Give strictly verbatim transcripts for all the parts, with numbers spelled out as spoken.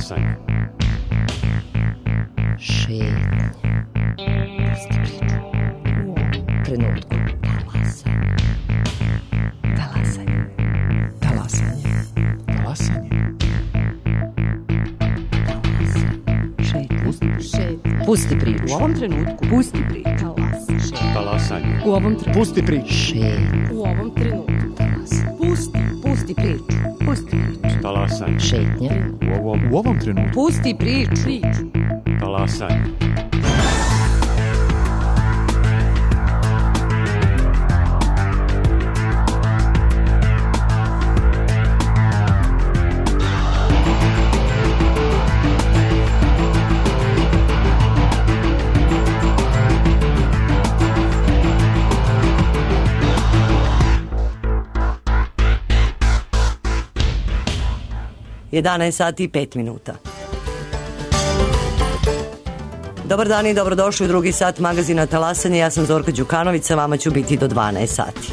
Talasanje. Šetnje. Pusti priču. U ovom trenutku. Talasanje. Talasanje. Talasanje. Talasanje. Šetnje. Pusti priču. U ovom trenutku. Pusti priču. Talasanje. U ovom trenutku. Pusti priču. Šetnje. U ovom trenutku. Pusti. Pusti priču. Pusti priču. Talasanje. Šetnje. U ovom, U ovom trenutku. Pusti priču. Priču. talasanje. jedanaest sati i pet minuta. Dobar dan i dobrodošli u drugi sat magazina Talasanje. Ja sam Zorka Đukanović, sa vama ću biti do dvanaest sati.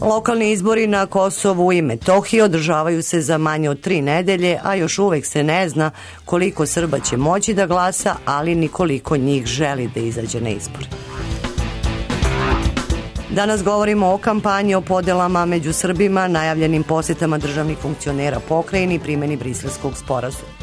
Lokalni izbori na Kosovu i Metohiji održavaju se za manje od tri nedelje, a još uvek se ne zna koliko Srba će moći da glasa, ali ni koliko njih želi da izađe na izbore. Danas govorimo o kampanji, o podelama među Srbima, najavljenim posetama državnih funkcionera pokrajini i primjeni Briselskog sporazuma.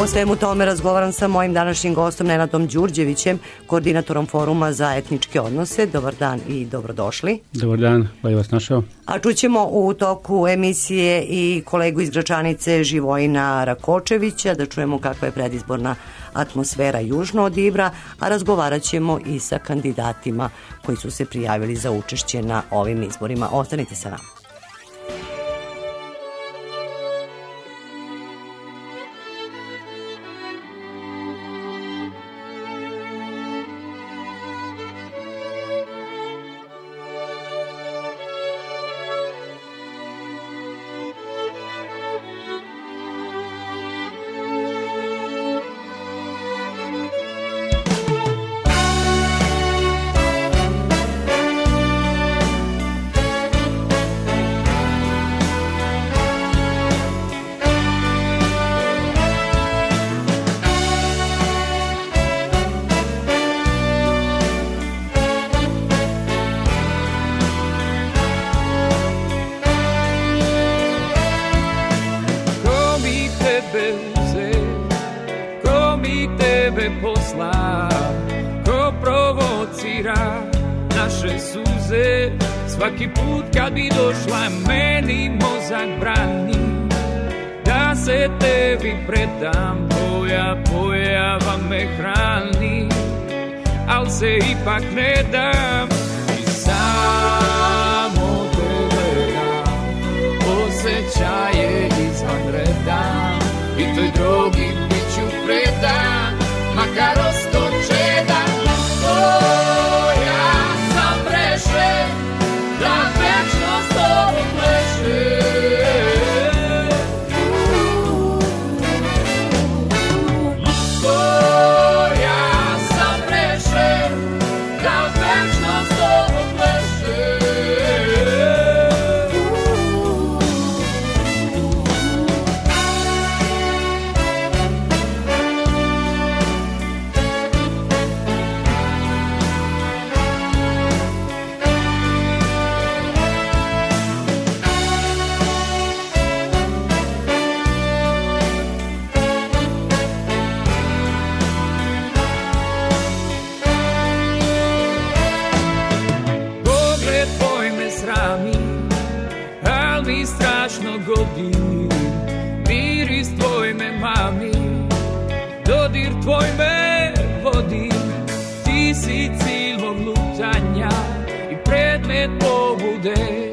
O svemu tome razgovaram sa mojim današnjim gostom Nenadom Đurđevićem, koordinatorom Foruma za etničke odnose. Dobar dan i dobrodošli. Dobar dan, bolje vas našao. A čućemo u toku emisije i kolegu iz Gračanice Živojina Rakočevića, da čujemo kakva je predizborna atmosfera južno od Ibra, a razgovarat ćemo i sa kandidatima koji su se prijavili za učešće na ovim izborima. Ostanite sa nama. Svaki put kad bi došla meni mozak brani da se tebi predam, tvoja pojava me hrani, al se ipak ne dam i samo te gledam, osjećaje izvan reda i toj drogi bit ću predan, makar ostoče da tvoja sam prešen da večno s tobom pleše. Tvoja sam rešen da večno s tobom pleše. Miris tvoj me mami, dodir tvoj me vodi, ti si cilj mog lutanja i predmet pobude,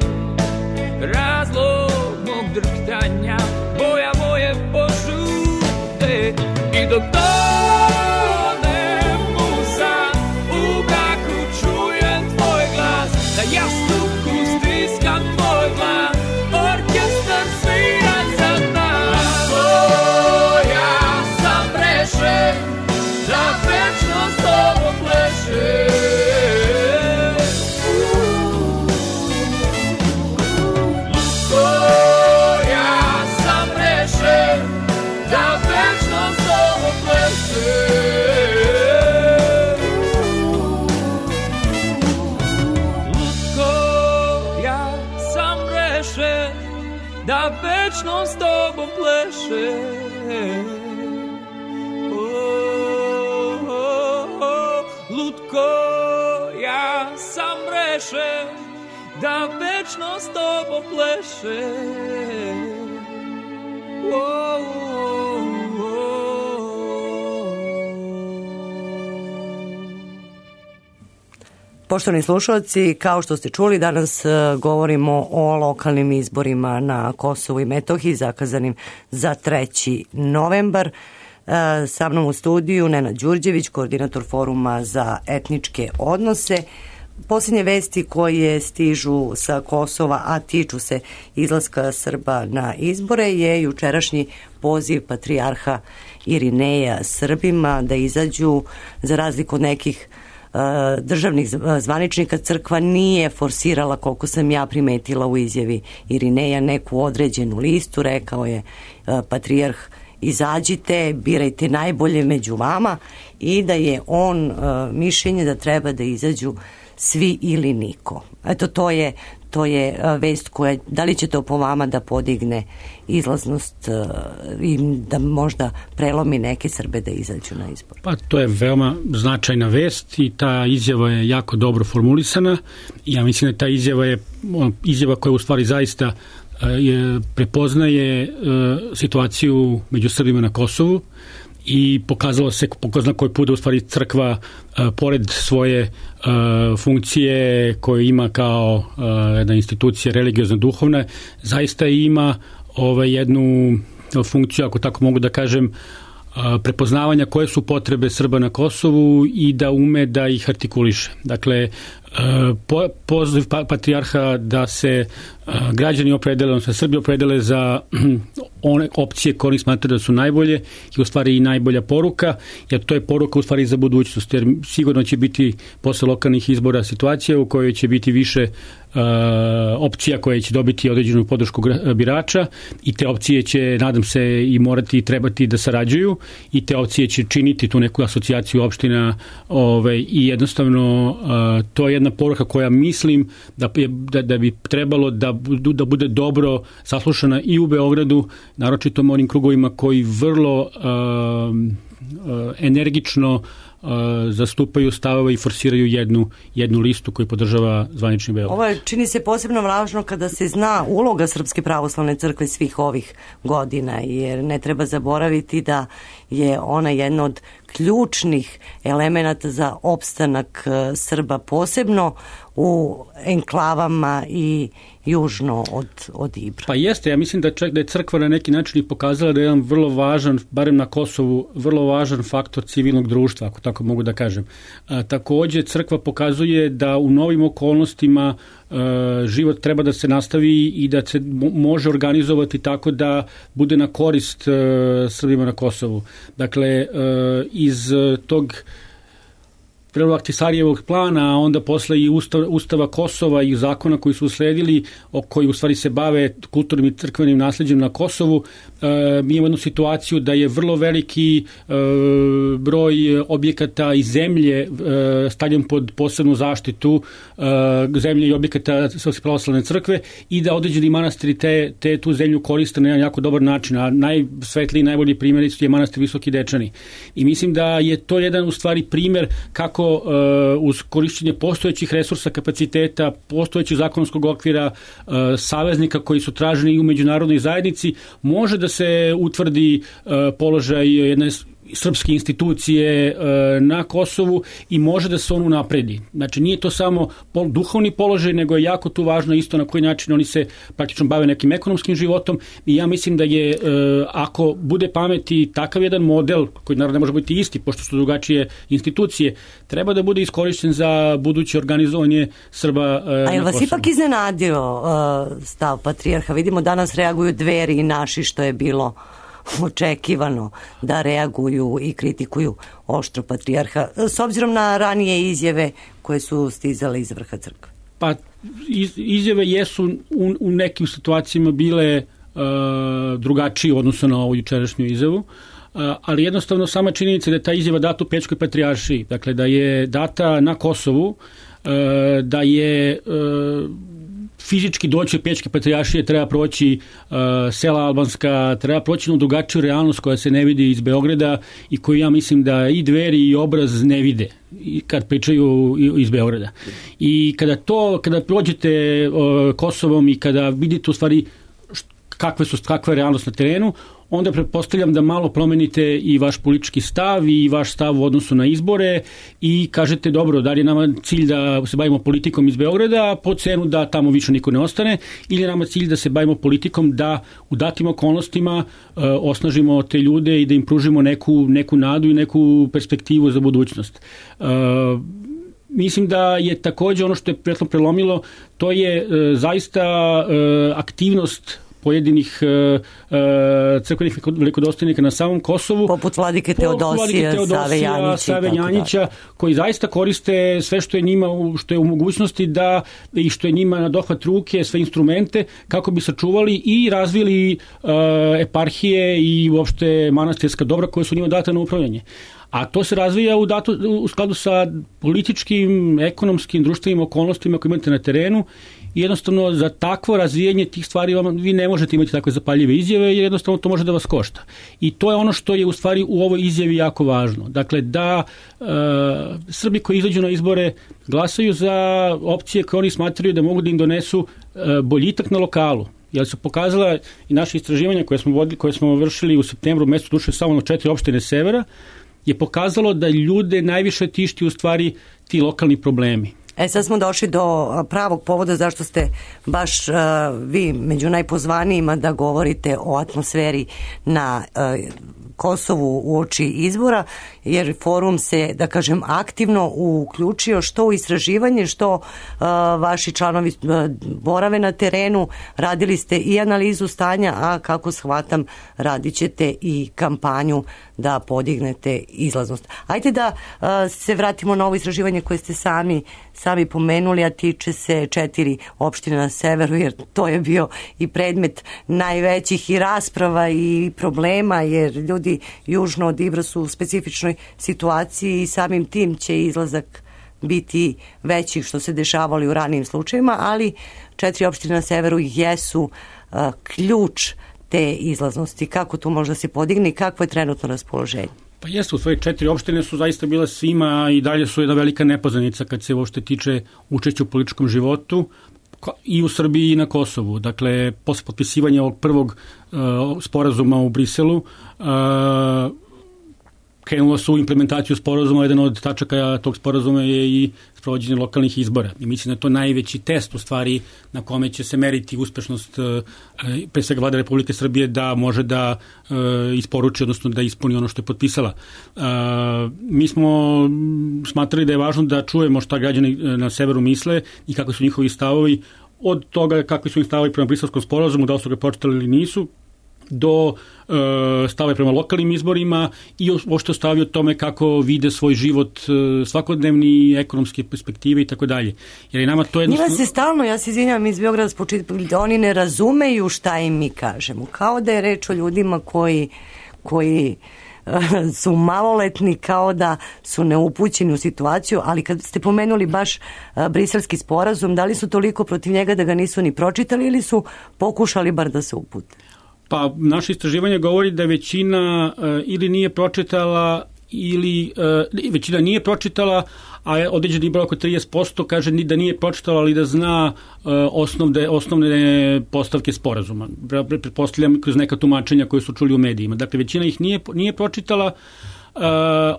razlog mog drhtanja, boja moje požude i dok tonem u san, u braku čujem tvoj glas, da jastuku stiskam tvoj glas, orkestar svira za nas. Tvoja sam rešen da večno s tobom pleše. Tvoja da večno s tobom plešem. Oh, oh, oh, lutko, ja sam rešen da večno s tobom plešem. Oh, oh, oh. Poštovani slušalci, kao što ste čuli, danas govorimo o lokalnim izborima na Kosovu i Metohiji, zakazanim za treći novembar. Sa mnom u studiju Nenad Đurđević, koordinator Foruma za etničke odnose. Posljednje vesti koje stižu sa Kosova, a tiču se izlaska Srba na izbore, je jučerašnji poziv patrijarha Irineja Srbima da izađu, za razliku od nekih uh, državnih zvaničnika. Crkva nije forsirala, koliko sam ja primetila u izjavi Irineja, neku određenu listu. Rekao je uh, patrijarh: izađite, birajte najbolje među vama, i da je on uh, mišljenje da treba da izađu svi ili niko. Eto, to je, to je uh, vest koja, da li će to po vama da podigne izlaznost uh, i da možda prelomi neke Srbe da izađu na izbor? Pa to je veoma značajna vest i ta izjava je jako dobro formulisana. Ja mislim da ta izjava je izjava koja u stvari zaista je, prepoznaje e, situaciju među Srbima na Kosovu i pokazalo se, pokazano koji put da u stvari crkva e, pored svoje e, funkcije koju ima kao e, jedna institucija religiozna duhovna, zaista ima ovaj, jednu funkciju, ako tako mogu da kažem, prepoznavanja koje su potrebe Srba na Kosovu i da ume da ih artikuliše. Dakle, poziv patrijarha da se građani opredele, odnosno Srbi opredele za one opcije koje oni smatraju da su najbolje i u stvari i najbolja poruka, jer to je poruka u stvari za budućnost, jer sigurno će biti posle lokalnih izbora situacija u kojoj će biti više Uh, opcija koje će dobiti određenu podršku birača i te opcije će, nadam se, i morati i trebati da sarađuju i te opcije će činiti tu neku asocijaciju opština, ovaj, i jednostavno uh, to je jedna poruka koja mislim da, da, da bi trebalo da, da bude dobro saslušana i u Beogradu, naročito u onim krugovima koji vrlo uh, uh, energično Uh, zastupaju stavove i forsiraju jednu, jednu listu koju podržava zvanični Beograd. Ovo je, čini se, posebno važno kada se zna uloga Srpske pravoslavne crkve svih ovih godina, jer ne treba zaboraviti da je ona jedna od ključnih elemenata za opstanak Srba, posebno u enklavama i južno od, od Ibra. Pa jeste, ja mislim da, čak, da je crkva na neki način i pokazala da je jedan vrlo važan, barem na Kosovu, vrlo važan faktor civilnog društva, ako tako mogu da kažem. A, takođe, crkva pokazuje da u novim okolnostima a, život treba da se nastavi i da se može organizovati tako da bude na korist a, Srbima na Kosovu. Dakle, a, iz tog prvo Ahtisarijevog plana, a onda posle i ustav, Ustava Kosova i zakona koji su usledili, o koji u stvari se bave kulturnim i crkvenim nasleđem na Kosovu, e, mi imamo jednu situaciju da je vrlo veliki e, broj objekata i zemlje e, stavljen pod posebnu zaštitu, e, zemlje i objekata Srpske pravoslavne crkve, i da određeni manastiri te, te tu zemlju koriste na jedan jako dobar način, a najsvetliji, najbolji primjer je manastir Visoki Dečani. I mislim da je to jedan u stvari primjer kako uh, uz korišćenje postojećih resursa, kapaciteta, postojećeg zakonskog okvira, uh, saveznika koji su traženi i u međunarodnoj zajednici, može da se utvrdi uh, položaj jedne srpske institucije e, na Kosovu i može da se on unapredi. Znači, nije to samo pol, duhovni položaj, nego je jako tu važno isto na koji način oni se praktično bave nekim ekonomskim životom, i ja mislim da je, e, ako bude pameti takav jedan model, koji naravno ne može biti isti, pošto su drugačije institucije, treba da bude iskorišćen za buduće organizovanje Srba e, na Kosovu. A je vas ipak iznenadio uh, stav patrijarha? Vidimo, danas reaguju Dveri i naši, što je bilo očekivano da reaguju i kritikuju oštro patrijarha, s obzirom na ranije izjave koje su stizale iz vrha crkve. Pa iz, izjave jesu u, u nekim situacijama bile uh, drugačije u odnosu na ovu jučerašnju izjavu, uh, ali jednostavno sama činjenica da je ta izjava data u Pećkoj patrijaršiji, dakle da je data na Kosovu, uh, da je uh, fizički doći Pećke patrijaršije, treba proći uh, sela albanska, treba proći na drugačiju realnost koja se ne vidi iz Beograda i koju ja mislim da i Dveri i Obraz ne vide kad pričaju iz Beograda. I kada to, kada prođete uh, Kosovom i kada vidite u stvari kakve su, kakva je realnost na terenu, onda pretpostavljam da malo promenite i vaš politički stav i vaš stav u odnosu na izbore i kažete dobro, da li je nama cilj da se bavimo politikom iz Beograda po cenu da tamo više niko ne ostane, ili je nama cilj da se bavimo politikom da u datim okolnostima uh, osnažimo te ljude i da im pružimo neku, neku nadu i neku perspektivu za budućnost. Uh, Mislim da je takođe ono što je prethodno prelomilo, to je uh, zaista uh, aktivnost pojedinih uh, uh, crkvenih velikodostojnika na samom Kosovu. Poput vladike Teodosija, Save Janjića, Save Janjića koji zaista koriste sve što je njima, što je u mogućnosti da, i što je njima na dohvat ruke, sve instrumente, kako bi sačuvali i razvili uh, eparhije i uopšte manastirska dobra koja su njima data na upravljanje. A to se razvija u, datu, u skladu sa političkim, ekonomskim, društvenim okolnostima koje imate na terenu. I jednostavno za takvo razvijanje tih stvari vam, vi ne možete imati takve zapaljive izjave jer jednostavno to može da vas košta. I to je ono što je u stvari u ovoj izjavi jako važno. Dakle, da e, Srbi koji izađu na izbore glasaju za opcije koje oni smatraju da mogu da im donesu e, boljitak na lokalu. Jer su pokazala i naše istraživanja koje smo, vodili, koje smo vršili u septembru mesecu, duše samo na četiri opštine severa, je pokazalo da ljude najviše tišti u stvari ti lokalni problemi. E sad smo došli do pravog povoda zašto ste baš uh, vi među najpozvanijima da govorite o atmosferi na uh, Kosovu uoči izbora, jer forum se, da kažem, aktivno uključio što u istraživanje, što uh, vaši članovi uh, borave na terenu, radili ste i analizu stanja, a kako shvatam, radit ćete i kampanju da podignete izlaznost. Ajde da uh, se vratimo na ovo istraživanje koje ste sami, sami pomenuli, a tiče se četiri opštine na severu, jer to je bio i predmet najvećih i rasprava i problema, jer ljudi južno od Ibra su u specifičnoj situaciji i samim tim će izlazak biti veći što se dešavali u ranijim slučajima, ali četiri opštine na severu jesu uh, ključ te izlaznosti. Kako to može da se podigne i kakvo je trenutno raspoloženje? Pa jeste, u svoje četiri opštine su zaista bile svima i dalje su jedna velika nepoznanica kad se uopšte tiče učešća u političkom životu i u Srbiji i na Kosovu. Dakle, posle potpisivanja ovog prvog uh, sporazuma u Briselu, uh, krenulo su u implementaciju sporazuma. Jedan od tačaka tog sporazuma je i sprovođenje lokalnih izbora. I mislim da je to najveći test u stvari na kome će se meriti uspešnost uh, pre svega Vlade Republike Srbije da može da uh, isporuči, odnosno da ispuni ono što je potpisala. Uh, mi smo smatrali da je važno da čujemo šta građani na severu misle i kako su njihovi stavovi, od toga kakvi su im stavovi prema Briselskom sporazumu, da li su ga počitali ili nisu, do e, stave prema lokalnim izborima i uopšte stavio tome kako vide svoj život e, svakodnevni, ekonomske perspektive i tako dalje. Jer je nama to jednostavno... Njima se stalno, ja se izvinjam iz Beograda spočitali, da oni ne razumeju šta im mi kažemo. Kao da je reč o ljudima koji, koji su maloletni, kao da su neupućeni u situaciju, ali kad ste pomenuli baš briselski sporazum, da li su toliko protiv njega da ga nisu ni pročitali ili su pokušali bar da se upute? Pa naše istraživanje govori da većina uh, ili nije pročitala ili uh, većina nije pročitala, a određeni broj oko trideset posto kaže da nije pročitala, ali da zna uh, osnovne, osnovne postavke sporazuma. Pretpostavljam kroz neka tumačenja koje su čuli u medijima. Dakle, većina ih nije, nije pročitala. Uh,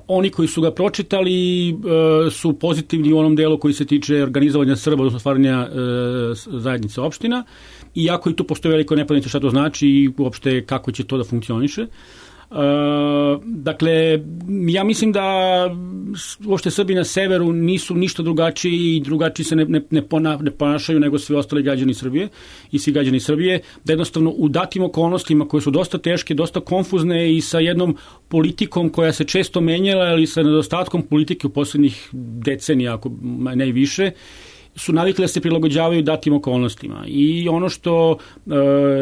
oni koji su ga pročitali uh, su pozitivni u onom delu koji se tiče organizovanja Srba, odnosno stvaranja uh, zajednice opština, iako i tu postoje veliko nepoznanica šta to znači i uopšte kako će to da funkcioniše. Uh, dakle, ja mislim da uopšte Srbi na severu nisu ništa drugačiji i drugačiji se ne, ne, ne, pona, ne ponašaju nego svi ostali građani Srbije i svi građani Srbije, da jednostavno u datim okolnostima koje su dosta teške, dosta konfuzne i sa jednom politikom koja se često menjala ili sa nedostatkom politike u poslednjih decenija, ako ne i više, su navikli da se prilagođavaju datim okolnostima. I ono što uh,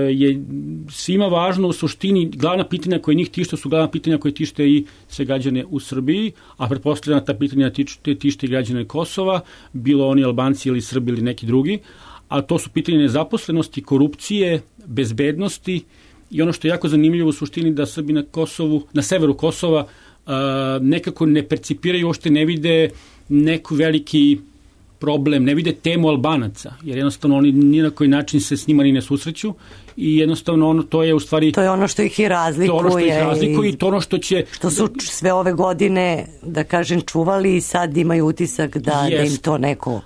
je svima važno u suštini, glavna pitanja koje njih tište su glavna pitanja koje tište i sve građane u Srbiji, a pretpostavljena ta pitanja tište, tište i građane Kosova, bilo oni Albanci ili Srbi ili neki drugi. a to su pitanje nezaposlenosti, korupcije, bezbednosti i ono što je jako zanimljivo u suštini da Srbi na Kosovu, na severu Kosova uh, nekako ne percipiraju, uopšte ne vide neku veliki problem, ne vide temu Albanaca, jer jednostavno oni ni na koji način se s njima ni ne susreću i jednostavno ono, to je u stvari... To je ono što ih i razlikuje. To je ono što ih razlikuje i to ono što će... Što su sve ove godine, da kažem, čuvali i sad imaju utisak da, yes. da im to neko...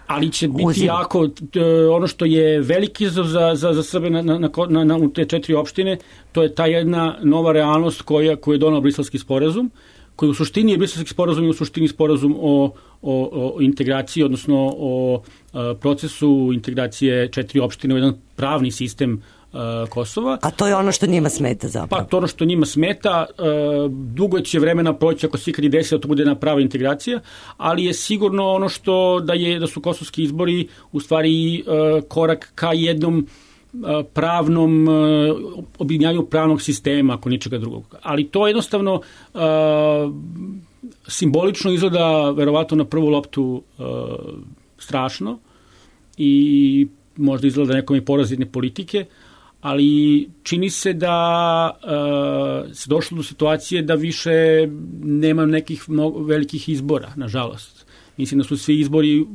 Ali će biti uzim. jako, ono što je veliki izazov za, za, za Srbe na, na, na, na, u te četiri opštine, to je ta jedna nova realnost koja, koju je donao Briselski sporazum, koji u suštini je Briselski sporazum i u suštini sporazum o, o, o integraciji, odnosno o a, procesu integracije četiri opštine u jedan pravni sistem a, Kosova. A to je ono što njima smeta zapravo? Pa to ono što njima smeta, a, dugo će vremena proći ako se ikad i desi da to bude jedna prava integracija, ali je sigurno ono što da je da su kosovski izbori u stvari a, korak ka jednom pravnom, objedinjavanju pravnog sistema, ako ničega drugog. Ali to jednostavno uh, simbolično izgleda verovatno na prvu loptu uh, strašno i možda izgleda nekom i porazitne politike, ali čini se da uh, se došlo do situacije da više nema nekih mnogo, velikih izbora, nažalost. Mislim da su svi izbori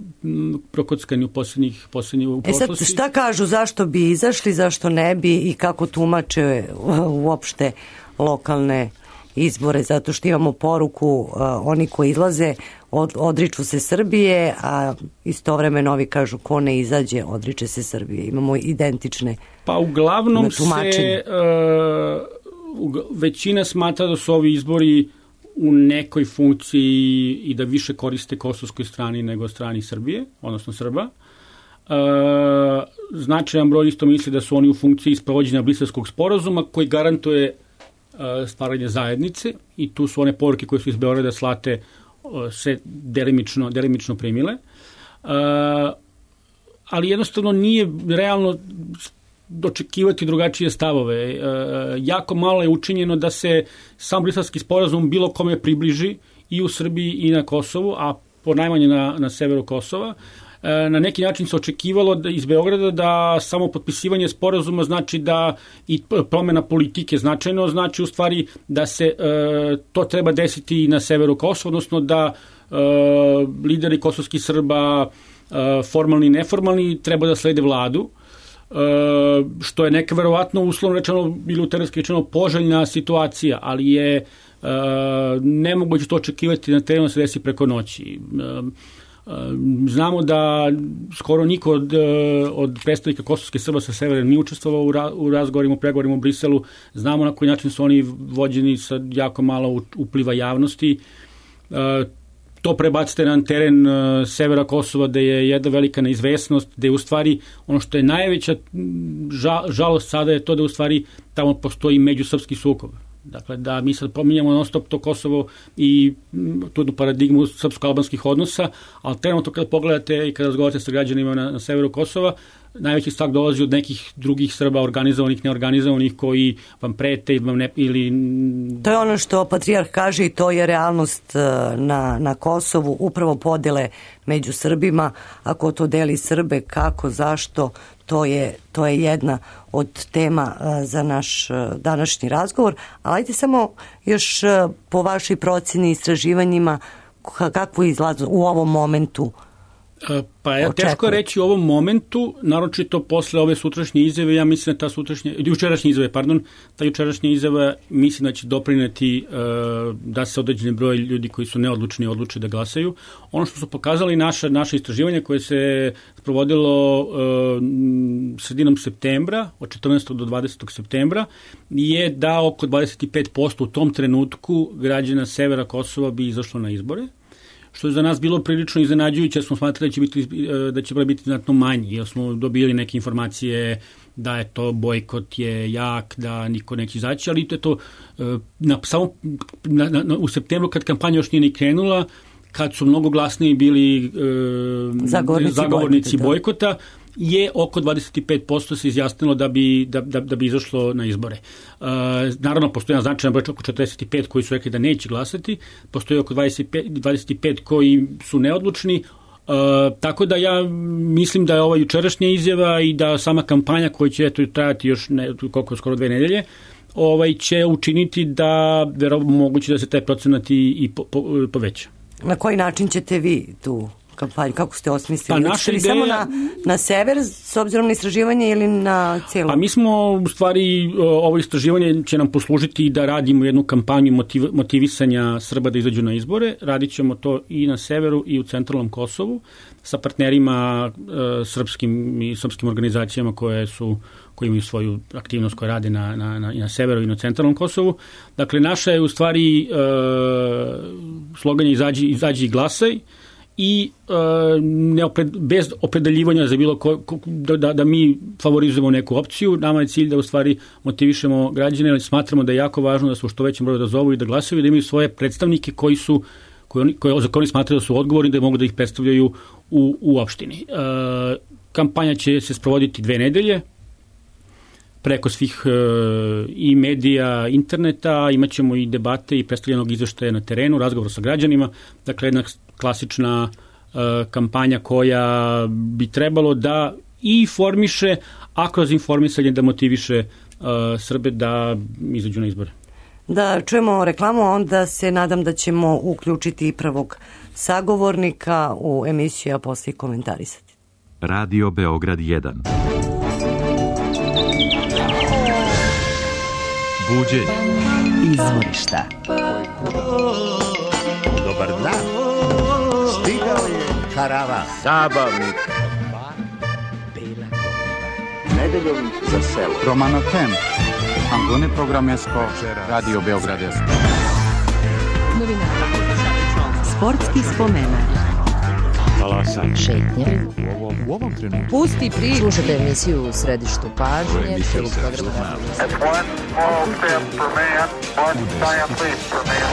prokockani u posljednjih, posljednjih u prošlosti. E sad, šta kažu, zašto bi izašli, zašto ne bi i kako tumače uopšte lokalne izbore, zato što imamo poruku, uh, oni koji izlaze od, odriču se Srbije, a istovremeno ovi kažu ko ne izađe, odriče se Srbije. Imamo identične Pa uglavnom se uh, većina smatra da su ovi izbori u nekoj funkciji i da više koriste kosovskoj strani nego strani Srbije, odnosno Srba. E, značajan broj isto misli da su oni u funkciji sprovođenja Briselskog sporazuma koji garantuje e, stvaranje zajednice i tu su one poruke koje su iz Beograda slate e, se delimično, delimično primile. E, ali jednostavno nije realno dočekivati drugačije stavove. E, jako malo je učinjeno da se sam Briselski sporazum bilo kome približi i u Srbiji i na Kosovu, a ponajmanje na, na severu Kosova. E, na neki način se očekivalo da, iz Beograda da samo potpisivanje sporazuma znači da i promena politike značajno, znači u stvari da se e, to treba desiti i na severu Kosova, odnosno da e, lideri kosovskih Srba, e, formalni i neformalni, treba da slede vladu. Uh, što je neka verovatno uslovno rečeno ili uterenski rečeno poželjna situacija, ali je uh, nemoguće to očekivati na terenu da se desi preko noći. Uh, uh, znamo da skoro niko od, uh, od predstavnika kosovske Srba sa severa nije učestvovao u, ra, u razgovorima, u pregovorima u Briselu. Znamo na koji način su oni vođeni sa jako malo upliva javnosti. Uh, to prebacite na teren uh, severa Kosova gde je jedna velika neizvesnost, gde je u stvari ono što je najveća žal, žalost sada je to da u stvari tamo postoji međusrpski sukob. Dakle, da mi sad pominjamo non stop to Kosovo i tu paradigmu srpsko-albanskih odnosa, ali trenutno kada pogledate i kada razgovarate sa građanima na, na severu Kosova, najveći strah dolazi od nekih drugih Srba, organizovanih, neorganizovanih, koji vam prete vam ne, ili... To je ono što patrijarh kaže i to je realnost na, na Kosovu, upravo podele među Srbima. Ako to deli Srbe, kako, zašto, to je, to je jedna od tema za naš današnji razgovor. Ali ajde samo još po vašoj procjeni i istraživanjima kakvu izlazu u ovom momentu. Pa je teško reći u ovom momentu, naročito posle ove sutrašnje izjave, ja mislim da ta sutrašnja, jučerašnje izjave, pardon, ta jučerašnja izjava mislim da će doprineti uh, da se određeni broj ljudi koji su neodlučni odluče da glasaju. Ono što su pokazali naša, naše istraživanje koje se provodilo uh, sredinom septembra, od četrnaestog do dvadesetog septembra, je da oko dvadeset pet posto u tom trenutku građana severa Kosova bi izašlo na izbore, što je za nas bilo prilično iznenađujuće, smo smatrali da će biti, da će biti znatno manji, jer smo dobili neke informacije da je to bojkot je jak, da niko neće izaći, ali to je to na, samo na, na, u septembru kad kampanja još nije ni krenula, kad su mnogo glasniji bili e, zagovornici, zagovornici bojkota, bojkota, je oko dvadeset pet posto se izjasnilo da bi, da, da, da bi izašlo na izbore. Uh, naravno, postoji značajan broj, oko četrdeset pet koji su rekli da neće glasati, postoji oko dvadeset pet, dvadeset pet koji su neodlučni, tako da ja mislim da je ova jučerašnja izjava i da sama kampanja koja će eto trajati još ne, koliko skoro dve nedelje, ovaj će učiniti da verovatno moguće da se taj procenat i, i po, po, poveća. Na koji način ćete vi tu kampanju, kako ste osmislili? Pa naša ideja... Samo na, na sever s obzirom na istraživanje ili na cijelu? A mi smo u stvari, ovo istraživanje će nam poslužiti da radimo jednu kampanju motiv, motivisanja Srba da izađu na izbore. Radit ćemo to i na severu i u centralnom Kosovu sa partnerima e, srpskim i srpskim organizacijama koje su koji imaju svoju aktivnost koja rade na, na, na, i na severu i na centralnom Kosovu. Dakle, naša je u stvari e, slogan je izađi, izađi i glasaj i e, neopred, bez opredeljivanja za bilo ko, ko, da, da mi favorizujemo neku opciju. Nama je cilj da u stvari motivišemo građane, ali smatramo da je jako važno da su što većem broju da zovu i da glasaju i da imaju svoje predstavnike koji su koji oni, koji, za koje oni smatraju da su odgovorni, da mogu da ih predstavljaju u, u opštini. E, kampanja će se sprovoditi dve nedelje preko svih e, i medija, interneta, imat ćemo i debate i predstavljenog izveštaja na terenu, razgovor sa građanima, dakle jedna klasična e, kampanja koja bi trebalo da i formiše, a kroz informisanje da motiviše e, Srbe da izađu na izbore. Da čujemo reklamu, onda se nadam da ćemo uključiti i prvog sagovornika u emisiju, a posle komentarisati. Radio Beograd jedan. Buđenje. Izvorišta. Dobar dan. Stigao je karavan. Zabavnik. Nedeljom za selo. Romano Tem. Angone Programesko. Radio Beograd jedan. Sportski spomenak. Talasanje. Šetnje. U ovom, u ovom trenutku. Pusti priču. Slušajte emisiju u središtu pažnje.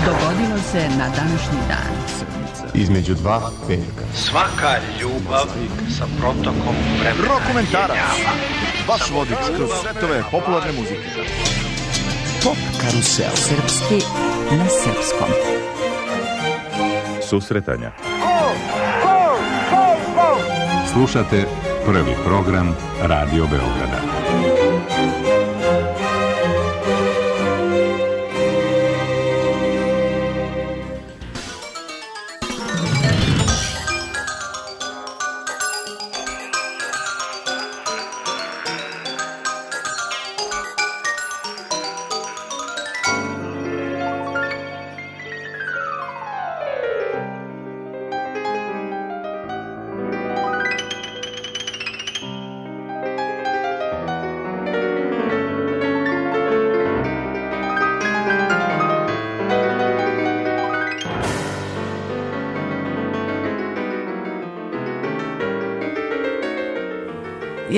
Dogodilo se na današnji dan. Između dva petka. Svaka ljubav sa protokom vremena. Rokomentarac. Vaš vodič kroz svetove popularne muzike. Top karusel. Srpski na srpskom. Susretanja. Slušate prvi program Radio Beograda.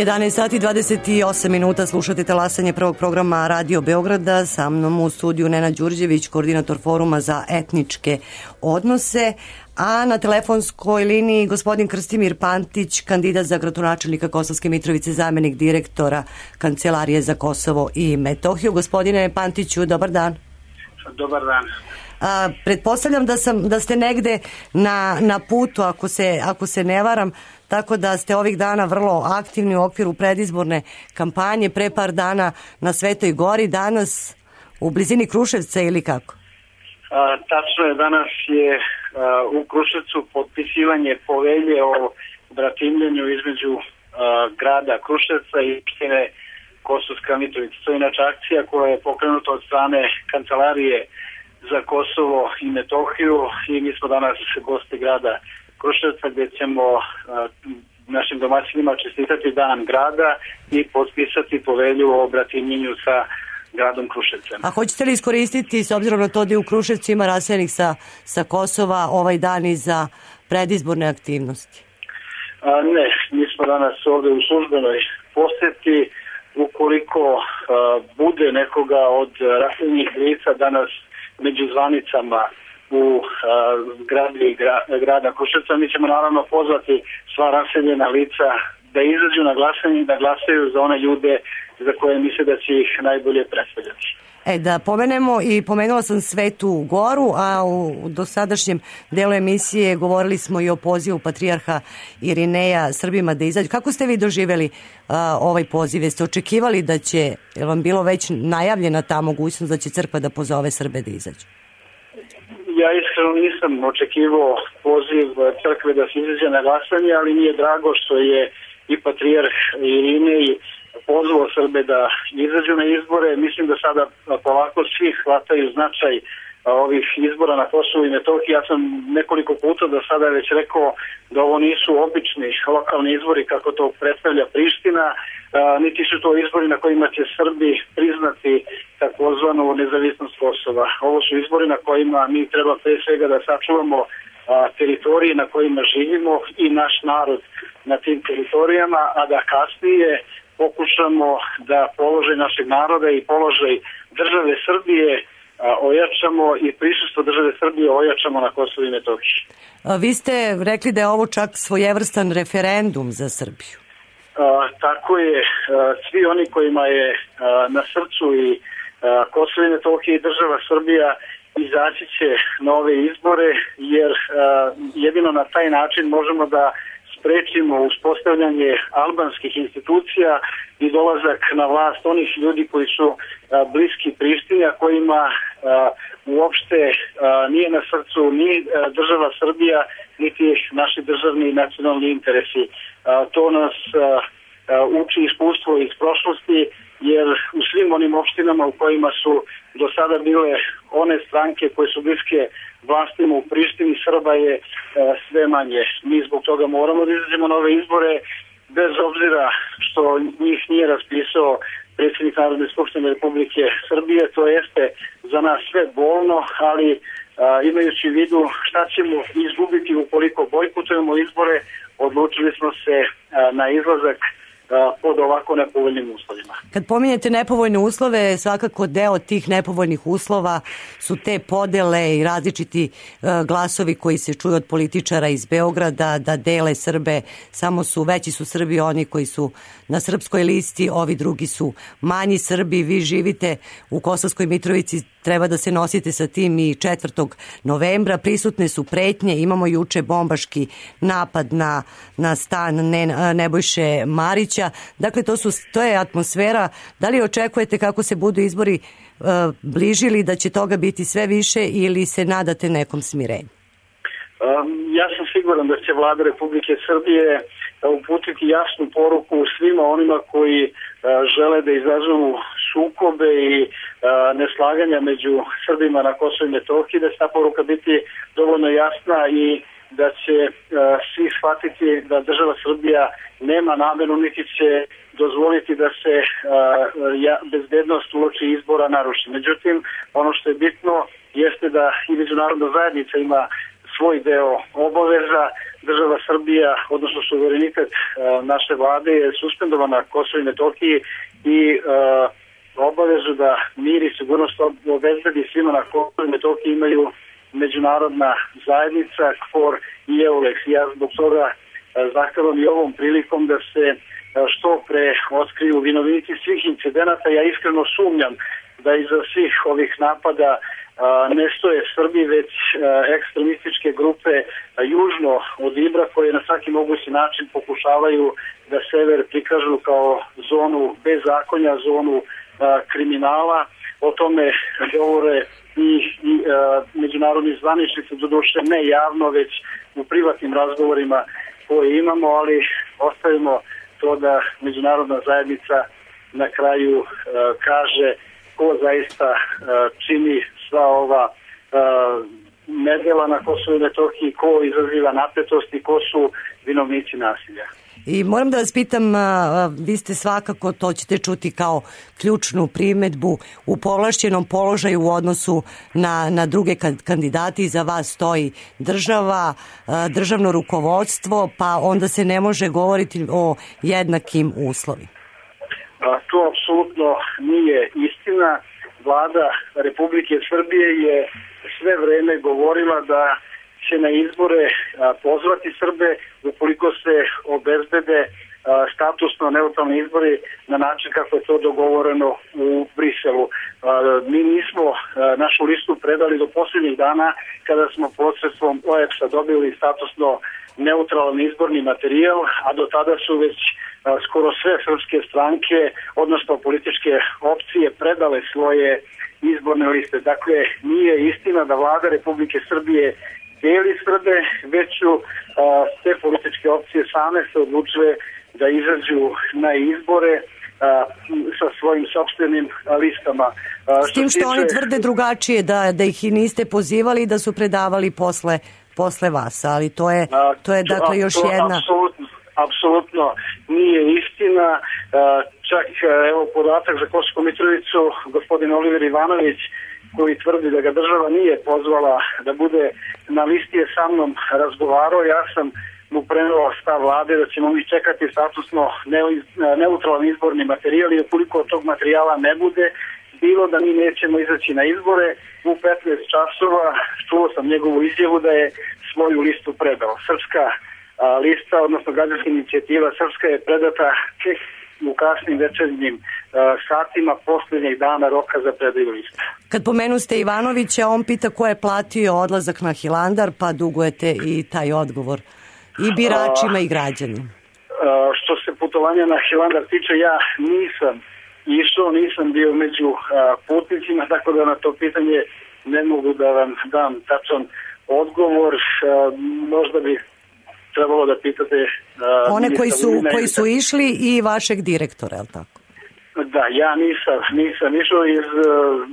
jedanaest sati i dvadeset osam minuta, slušate talasanje prvog programa Radio Beograda. Sa mnom u studiju Nena Đurđević, koordinator foruma za etničke odnose, a na telefonskoj liniji gospodin Krstimir Pantić, kandidat za gradonačelnika Kosovske Mitrovice, zamenik direktora Kancelarije za Kosovo i Metohiju. Gospodine Pantiću, dobar dan. Dobar dan. A, pretpostavljam da sam da ste negde na, na putu, ako se, ako se ne varam, tako da ste ovih dana vrlo aktivni u okviru predizborne kampanje, pre par dana na Svetoj Gori, danas u blizini Kruševca ili kako? A, tačno je, danas je a, u Kruševcu potpisivanje povelje o bratimljenju između a, grada Kruševca i opštine Kosovska Mitrovica. To je inače akcija koja je pokrenuta od strane Kancelarije za Kosovo i Metohiju i mi smo danas gosti grada Kruševca gdje ćemo a, našim domaćinima čestitati dan grada i potpisati povelju o bratimljenju sa gradom Kruševcem. A hoćete li iskoristiti, s obzirom na to da je u Kruševcu ima raseljenih sa, sa Kosova, ovaj dan i za predizborne aktivnosti? A, ne, mi smo danas ovdje u službenoj posjeti. Ukoliko a, bude nekoga od raseljenih lica danas među zvanicama u zgradi gra, grada Kruševca, mi ćemo naravno pozvati sva raseljena lica da izađu na glasanje i da glasaju za one ljude za koje misle da će ih najbolje predstavljati. E, da pomenemo i pomenula sam Svetu Goru, a u dosadašnjem delu emisije govorili smo i o pozivu patrijarha Irineja Srbima da izađu. Kako ste vi doživjeli a, ovaj poziv? Jeste očekivali da će, je vam bilo već najavljena ta mogućnost da će crkva da pozove Srbe da izađu? Ja iskreno nisam očekivao poziv crkve da se izađe na glasanje, ali mi je drago što je i patrijarh Irinej pozvao Srbe da izađu na izbore. Mislim da sada polako svi shvataju značaj ovih izbora na Kosovu i Metohiji. Ja sam nekoliko puta do sada već rekao da ovo nisu obični lokalni izbori kako to predstavlja Priština, niti su to izbori na kojima će Srbi priznati takozvanu nezavisnost Kosova. Ovo su izbori na kojima mi treba pre svega da sačuvamo teritorije na kojima živimo i naš narod na tim teritorijama, a da kasnije pokušamo da položaj našeg naroda i položaj države Srbije ojačamo i prisustvo države Srbije ojačamo na Kosovu i Metohiji. Vi ste rekli da je ovo čak svojevrstan referendum za Srbiju. A, tako je. A, svi oni kojima je a, na srcu i a, Kosovo i Metohija i država Srbija izaći će na ove izbore, jer a, jedino na taj način možemo da sprečimo uspostavljanje albanskih institucija i dolazak na vlast onih ljudi koji su a, bliski Prištini, a kojima a, uopšte a, nije na srcu ni a, država Srbija, niti naši državni i nacionalni interesi. A, to nas a, a, uči iskustvo iz prošlosti, jer u svim onim opštinama u kojima su do sada bile one stranke koje su bliske vlastima u Prištini, Srba je e, sve manje. Mi zbog toga moramo da izađemo na ove izbore, bez obzira što njih nije raspisao predsjednik Narodne skupštine Republike Srbije. To jeste za nas sve bolno, ali a, imajući u vidu šta ćemo izgubiti ukoliko bojkotujemo izbore, odlučili smo se a, na izlazak pod ovako nepovoljnim uslovima. Kad pominjete nepovoljne uslove, svakako deo tih nepovoljnih uslova su te podele i različiti glasovi koji se čuju od političara iz Beograda da dele Srbe, samo su veći su Srbi oni koji su na srpskoj listi, ovi drugi su manji Srbi. Vi živite u Kosovskoj Mitrovici, treba da se nosite sa tim i četvrtog novembra. Prisutne su pretnje, imamo juče bombaški napad na, na stan ne, Nebojše Marića. Dakle, to, su, to je atmosfera. Da li očekujete kako se budu izbori uh, bližili da će toga biti sve više ili se nadate nekom smirenju? Um, ja sam siguran da će vlada Republike Srbije uputiti jasnu poruku svima onima koji uh, žele da izazovu sukobe i uh, neslaganja među Srbima na Kosovu i Metohiji, da će ta poruka biti dovoljno jasna i da će uh, svi shvatiti da država Srbija nema nameru niti će dozvoliti da se uh, ja, bezbednost uoči izbora naruši. Međutim, ono što je bitno jeste da i međunarodna zajednica ima svoj deo obaveza. Država Srbija, odnosno suverenitet uh, naše vlade je suspendovana na Kosovu i Metohiji i uh, obavezu da mir i sigurnost obezbedi svima na Kosovu i Metohiji imaju međunarodna zajednica, K F O R i EULEX. Ja zbog toga uh, zahtevam i ovom prilikom da se uh, što pre otkriju vinovnici svih incidenata. Ja iskreno sumnjam da iza svih ovih napada Uh, ne stoje Srbi, već uh, ekstremističke grupe uh, južno od Ibra koje na svaki mogući način pokušavaju da sever prikažu kao zonu bezakonja, zonu uh, kriminala. O tome govore i, i uh, međunarodni zvaničnici, doduše ne javno, već u privatnim razgovorima koje imamo, ali ostavimo to da međunarodna zajednica na kraju uh, kaže ko zaista uh, čini sva ova uh, nedjela na Kosovu i Metohiji, ko izaziva napetost i ko su vinovnici nasilja. I moram da vas pitam, vi ste svakako, to ćete čuti kao ključnu primedbu, u povlašćenom položaju u odnosu na, na druge kandidati. Za vas stoji država, državno rukovodstvo, pa onda se ne može govoriti o jednakim uslovima. A, to apsolutno nije istina. Vlada Republike Srbije je sve vreme govorila da će na izbore a, pozvati Srbe ukoliko se obezbede a, statusno neutralni izbori na način kako je to dogovoreno u Briselu. Mi nismo našu listu predali do posljednjih dana kada smo posredstvom O E P S-a dobili statusno neutralan izborni materijal, a do tada su već skoro sve srpske stranke, odnosno političke opcije, predale svoje izborne liste. Dakle, nije istina da vlada Republike Srbije deli Srbe, već su sve političke opcije same se odlučile da izađu na izbore a, sa svojim sopstvenim listama. A, S tim što, što oni tvrde drugačije, da, da ih i niste pozivali i da su predavali posle, posle vas, ali to je, to je dakle još to, jedna... Apsolutno, apsolutno nije istina. A, čak evo podatak za Kosovsku Mitrovicu, gospodin Oliver Ivanović, koji tvrdi da ga država nije pozvala da bude na listi, je sa mnom razgovarao. Ja sam mu preneo stav vlade da ćemo mi čekati statusno neutralan izborni materijal i ukoliko od tog materijala ne bude bilo da mi nećemo izaći na izbore. U petnaest časova čuo sam njegovu izjavu da je svoju listu predao. Srpska a, lista, odnosno građanska inicijativa Srpska je predata tek u kasnim večernjim uh, satima posljednjeg dana roka za predaju lista. Kad pomenuste Ivanovića, on pita ko je platio odlazak na Hilandar, pa dugujete i taj odgovor i biračima uh, i građanima. Uh, što se putovanja na Hilandar tiče, ja nisam išao, nisam bio među uh, putnicima, tako da na to pitanje ne mogu da vam dam tačan odgovor. Uh, možda bi trebalo da pitate... Uh, one koji su, koji su išli i vašeg direktora, je li tako? Da, ja nisam, nisam išao iz uh,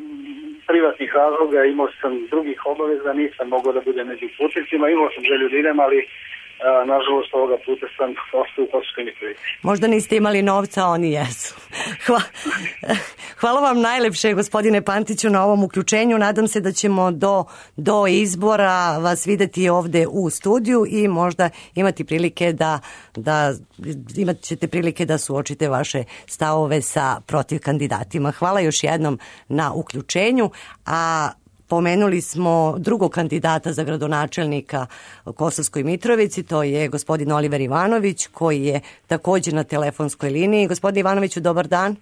privatnih razloga, imao sam drugih obaveza, nisam mogao da budem među putnicima, imao sam želju da idem, ali uh, nažalost ovoga puta sam ostao u Kosovskoj Mitrovici. Možda niste imali novca, oni jesu. Hvala, hvala vam najlepše, gospodine Pantiću, na ovom uključenju. Nadam se da ćemo do, do izbora vas videti ovde u studiju i možda imati prilike da, da imat ćete prilike da suočite vaše stavove sa protiv kandidatima. Hvala još jednom na uključenju, a pomenuli smo drugog kandidata za gradonačelnika u Kosovskoj Mitrovici, to je gospodin Oliver Ivanović, koji je također na telefonskoj liniji. Gospodin Ivanoviću, dobar dan.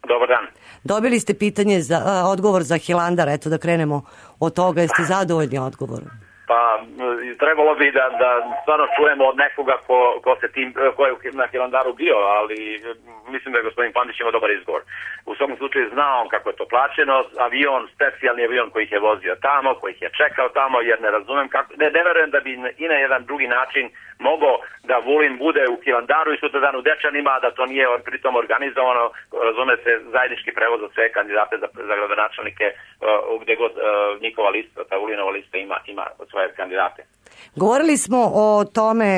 Dobar dan. Dobili ste pitanje za uh, odgovor za Hilandar, eto da krenemo od toga, jeste zadovoljni odgovorom? Pa trebalo bi da, da stvarno čujemo od nekoga ko, ko, se tim, ko je na Hilandaru bio, ali mislim da je gospodin Pantić imao dobar izgovor. U svakom slučaju zna on kako je to plaćeno, avion, specijalni avion koji ih je vozio tamo, koji ih je čekao tamo, jer ne razumem kako, ne, ne verujem da bi i na jedan drugi način mogao da Vulin bude u Hilandaru i sutra dan u Dečanima, da to nije pritom organizovano, razume se, zajednički prevoz za sve kandidate za, za gradonačelnike, uh, gdje god uh, njihova lista, ta Vulinova lista ima, ima svoje kandidate. Govorili smo o tome,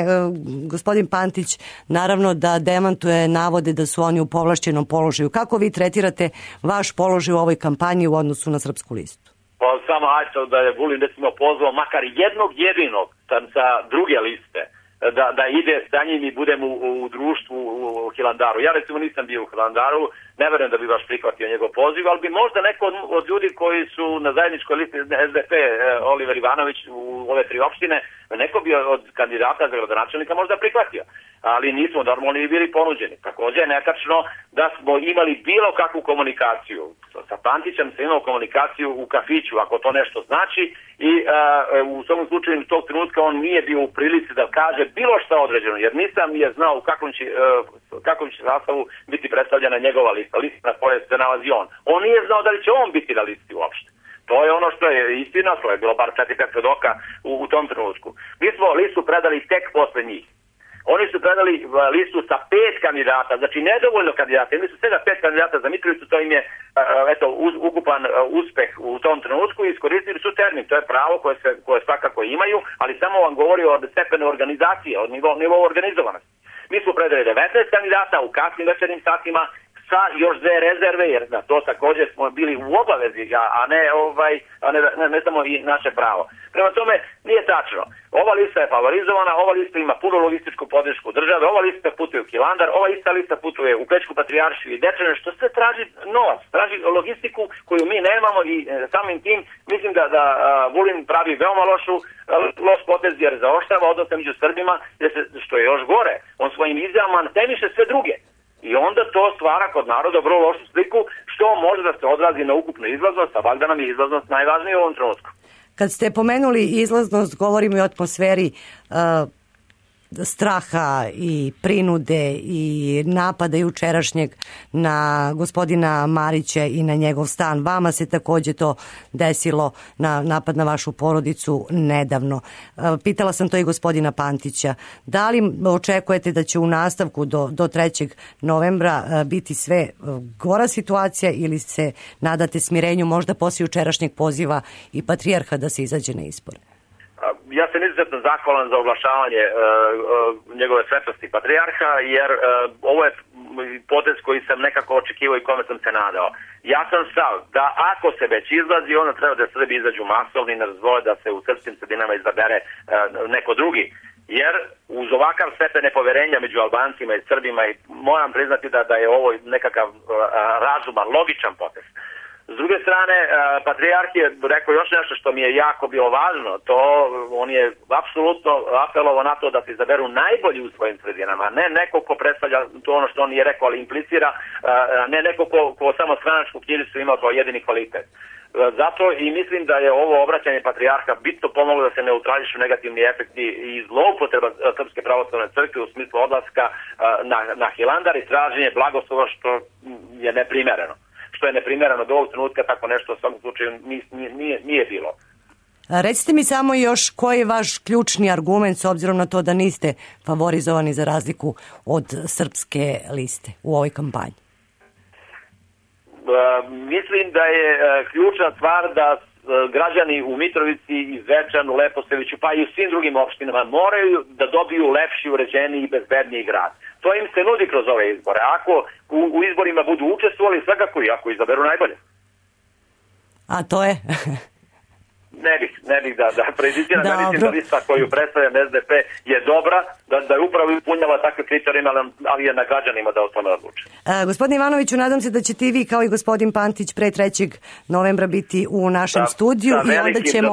gospodin Pantić, naravno da demantuje navode da su oni u povlašćenom položaju. Kako vi tretirate vaš položaj u ovoj kampanji u odnosu na Srpsku listu? Pa samo ajde da je Vulin recimo pozvao makar jednog jedinog sa, sa druge liste da, da ide sa njim i budem u, u društvu u Hilandaru. Ja recimo nisam bio u Hilandaru, ne verujem da bi baš prihvatio njegov poziv, ali bi možda neko od, od ljudi koji su na zajedničkoj listi S D P, Oliver Ivanović u ove tri opštine, neko bi od kandidata za gradonačelnika možda prihvatio. Ali nismo normalni bili ponuđeni. Također je netačno da smo imali bilo kakvu komunikaciju. Sa Pantićem sam imao komunikaciju u kafiću, ako to nešto znači, i a, u svom slučaju tog trenutka on nije bio u prilici da kaže bilo šta određeno, jer nisam je znao u kakvom će, uh, kakvom će sastavu biti predstavljena njegova lista, lista na kojoj se nalazi on. On nije znao da li će on biti na listi uopšte. To je ono što je istina, to je bilo bar četiri pet svedoka u, u tom trenutku. Mi smo listu predali tek posle njih. Oni su predali listu sa pet kandidata, znači nedovoljno kandidata. Oni su svega pet kandidata za Mitrovicu, to im je eto, ukupan uspeh u tom trenutku i iskoristili su termin. To je pravo koje, se, koje svakako imaju, ali samo vam govori o stepenu organizacije, od nivou, nivou organizovanosti. Mi smo predali devetnaest kandidata u kasnim večernim satima sa još dve rezerve, jer na to također smo bili u obavezi, a ne, ovaj, a ne, ne, ne samo i naše pravo. Prema tome, nije tačno. Ova lista je favorizovana, ova lista ima puno logističku podršku države, ova lista putuje u Hilandar, ova ista lista putuje u Pećku Patrijaršiju i Dečane, što sve traži novac, traži logistiku koju mi nemamo i e, samim tim mislim da, da a, Vulin pravi veoma lošu, a, loš potez jer zaoštava odnose među Srbima, jer se, što je još gore, on svojim izjavama temiše sve druge. I onda to stvara kod naroda vrlo lošu sliku, što može da se odrazi na ukupnu izlaznost, a valjda nam je izlaznost najvažnija u ovom trenutku. Kad ste pomenuli izlaznost, govorimo i o atmosferi uh, straha i prinude i napada jučerašnjeg na gospodina Marića i na njegov stan. Vama se takođe to desilo, na napad na vašu porodicu nedavno. Pitala sam to i gospodina Pantića. Da li očekujete da će u nastavku do, do trećeg novembra biti sve gora situacija ili se nadate smirenju možda poslije jučerašnjeg poziva i patrijarha da se izađe na izbore? Ja sam izuzetno zahvalan za oglašavanje uh, uh, njegove svetosti patrijarha, jer uh, ovo je potez koji sam nekako očekivao i kome sam se nadao. Ja sam stav da ako se već izlazi, onda treba da Srbi izađu masovni i ne dozvole da se u srpskim sredinama izabere uh, neko drugi. Jer uz ovakav stepen nepoverenja među Albancima i Srbima, i moram priznati da, da je ovo nekakav uh, razuman, logičan potez. S druge strane, patrijarh je rekao još nešto što mi je jako bilo važno, to on je apsolutno apelovao na to da se izaberu najbolji u svojim sredinama, ne neko ko predstavlja to ono što on nije rekao, ali implicira, ne neko ko, ko samo stranačku knjižicu ima kao jedini kvalitet. Zato i mislim da je ovo obraćanje patrijarha bitno pomoglo da se neutrališu negativni efekti i zloupotreba Srpske pravoslavne crkve u smislu odlaska na, na Hilandar i traženje blagoslova, što je neprimereno. Što je neprimjereno do ovog trenutka, tako nešto u svakom slučaju nije, nije, nije bilo. Recite mi samo još koji je vaš ključni argument s obzirom na to da niste favorizovani za razliku od Srpske liste u ovoj kampanji? Uh, mislim da je uh, ključna stvar da uh, građani u Mitrovici, i Zvečanu, Leposaviću, pa i u svim drugim opštinama moraju da dobiju lepši, uređeniji i bezbedniji grad. To im se nudi kroz ove izbore. Ako u, u izborima budu učestvovali, svakako i ako izaberu najbolje. A to je? Ne bih, ne bih da, da prejudiciram. Ja mislim da lista koju predstavljam S D P je dobra, da, da je upravo ispunjala takve kriterijima, ali je na građanima da o tome odluče. E, gospodin Ivanoviću, nadam se da ćete i vi kao i gospodin Pantić pre trećeg novembra biti u našem da, studiju. Da, i onda ćemo...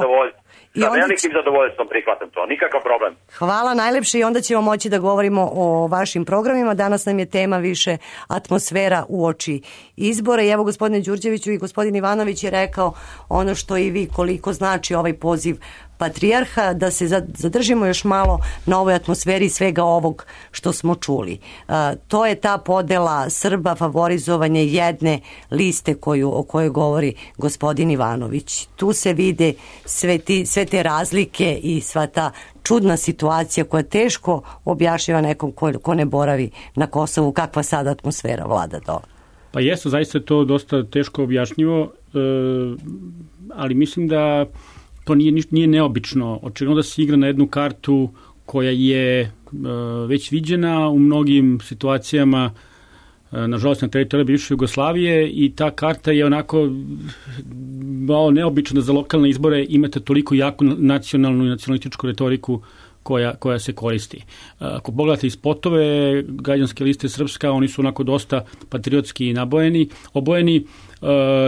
I Sa velikim će... zadovoljstvom prihvatam to, nikakav problem. Hvala najlepše i onda ćemo moći da govorimo o vašim programima. Danas nam je tema više atmosfera uoči izbora. I evo gospodine Đurđeviću i gospodin Ivanović je rekao ono što i vi, koliko znači ovaj poziv patrijarha, da se zadržimo još malo na ovoj atmosferi svega ovog što smo čuli. Uh, to je ta podela Srba, favorizovanje jedne liste koju, o kojoj govori gospodin Ivanović. Tu se vide sve, ti, sve te razlike i sva ta čudna situacija koja teško objašnjava nekom ko, ko ne boravi na Kosovu, kakva sad atmosfera vlada dole. Pa jesu, zaista je to dosta teško objašnjivo, uh, ali mislim da to nije, nije neobično. Očigledno da se igra na jednu kartu koja je e, već viđena u mnogim situacijama, e, nažalost na teritoriji bivše Jugoslavije, i ta karta je onako malo neobična za lokalne izbore. Imate toliko jaku nacionalnu i nacionalističku retoriku koja, koja se koristi. Ako pogledate i spotove građanske liste Srpska, oni su onako dosta patriotski nabojeni, obojeni.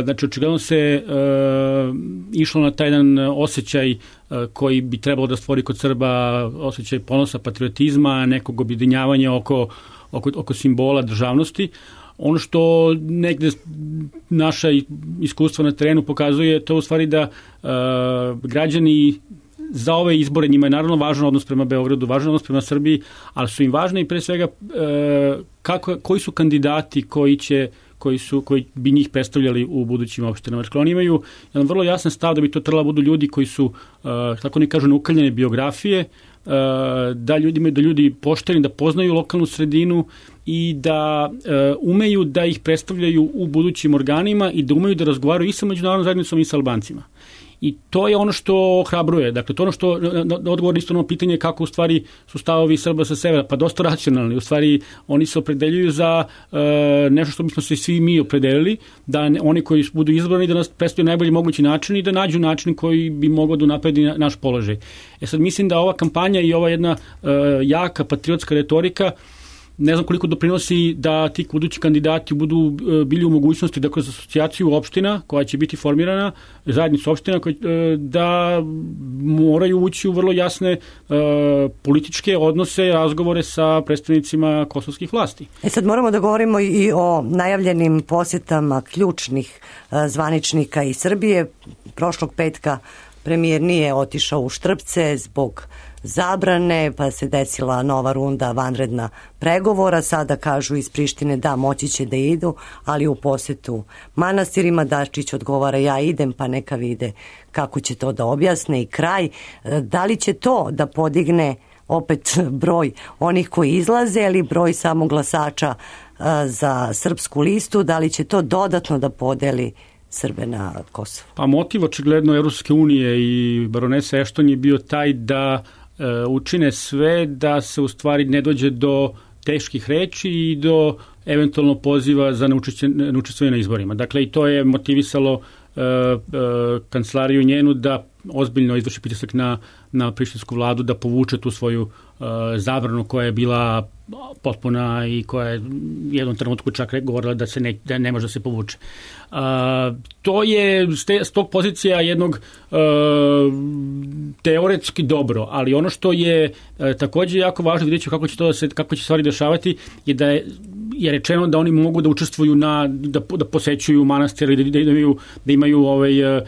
Znači, očigledno se uh, išlo na taj jedan osjećaj uh, koji bi trebalo da stvori kod Srba osjećaj ponosa, patriotizma, nekog objedinjavanja oko, oko, oko simbola državnosti. Ono što negde naša iskustva na terenu pokazuje, to u stvari da uh, građani za ove izbore, njima je naravno važan odnos prema Beogradu, važan odnos prema Srbiji, ali su im važne i pre svega uh, kako, koji su kandidati koji će koji su koji bi njih predstavljali u budućim opštinama. Dakle, oni imaju jedan vrlo jasan stav da bi to trebalo budu ljudi koji su, uh, tako ne kažu, naukaljene biografije, uh, da ljudi imaju da ljudi pošteni, da poznaju lokalnu sredinu i da uh, umeju da ih predstavljaju u budućim organima i da umeju da razgovaraju i sa međunarodnom zajednicom i sa Albancima. I to je ono što ohrabruje. Dakle, to je ono što, odgovor isto na pitanje kako u stvari su stavovi Srba sa severa, pa dosta racionalni. U stvari, oni se opredeljuju za uh, nešto što bismo se svi mi opredelili, da ne, oni koji budu izbrani da nas predstavljaju najbolji mogući način i da nađu način koji bi mogao da unapredi na, naš položaj. E sad, mislim da ova kampanja i ova jedna uh, jaka patriotska retorika ne znam koliko doprinosi da ti budući kandidati budu bili u mogućnosti da kroz asocijaciju opština koja će biti formirana, zajednicu opština, da moraju ući u vrlo jasne političke odnose, razgovore sa predstavnicima kosovskih vlasti. E sad moramo da govorimo i o najavljenim posjetama ključnih zvaničnika iz Srbije. Prošlog petka premijer nije otišao u Štrpce zbog zabrane, pa se desila nova runda vanredna pregovora. Sada kažu iz Prištine da moći će da idu, ali u posjetu manastirima. Dačić odgovara ja idem, pa neka vide kako će to da objasne i kraj. Da li će to da podigne opet broj onih koji izlaze ili broj samo glasača za srpsku listu, da li će to dodatno da podeli Srbe na Kosovo? Pa motiv očigledno Evropske unije i baronesa Ešton je bio taj da e, učine sve da se u stvari ne dođe do teških reči i do eventualno poziva za neučestvovanje na izborima. Dakle, i to je motivisalo e, e, kancelariju njenu da ozbiljno izvrši pritisak na, na prištinsku vladu da povuče tu svoju uh, zabranu koja je bila potpuna i koja je u jednom trenutku čak govorila da se ne, da ne može da se povuče. Uh, to je s tog pozicija jednog uh, teoretski dobro, ali ono što je uh, također jako važno, vidjet ću kako će to da se, kako će stvari dešavati, je da je je rečeno da oni mogu da učestvuju na, da, da posećuju manastir, da, da imaju, da imaju ovaj, uh,